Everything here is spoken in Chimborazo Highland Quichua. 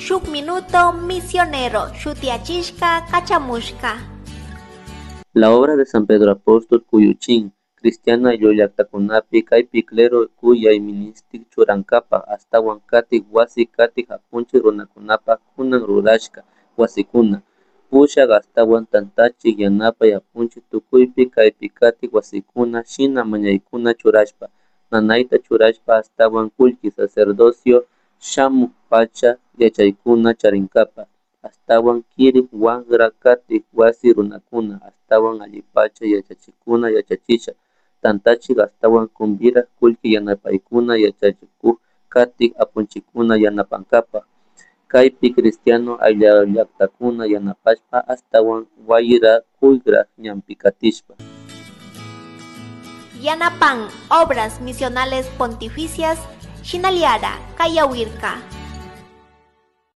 Shuk Minuto Misionero shutiyachishka kachamushka. La obra de San Pedro Apóstol kuyuchin cristiano ayllullaktakunapi kaypi clero kuyay ministik churankapak ashtawan katik wasi katik apunchik runakunapak kunan rurashka wasikuna pushak ashtawan tantachik yanapay apunchik tukuypi kaypi katik wasikuna shina mañaykuna churashpa nanayta churashpa ashtawan kullki sacerdocio shamuk pacha yachaykuna charinkapak ashtawan kirik wakra katik wasi runakuna ashtawan allipacha yachachikuna yachachisha tantachik ashtawan kumbirak kullki yanapaykuna yachachikuk katik apunchikkuna yanapankapak kaypi cristiano ayllullaktakuna yanapashpa ashtawan wayra kuyra ñanpi katishpa. Yanapan Obras Misionales Pontificias Shinaliara Kayawirka.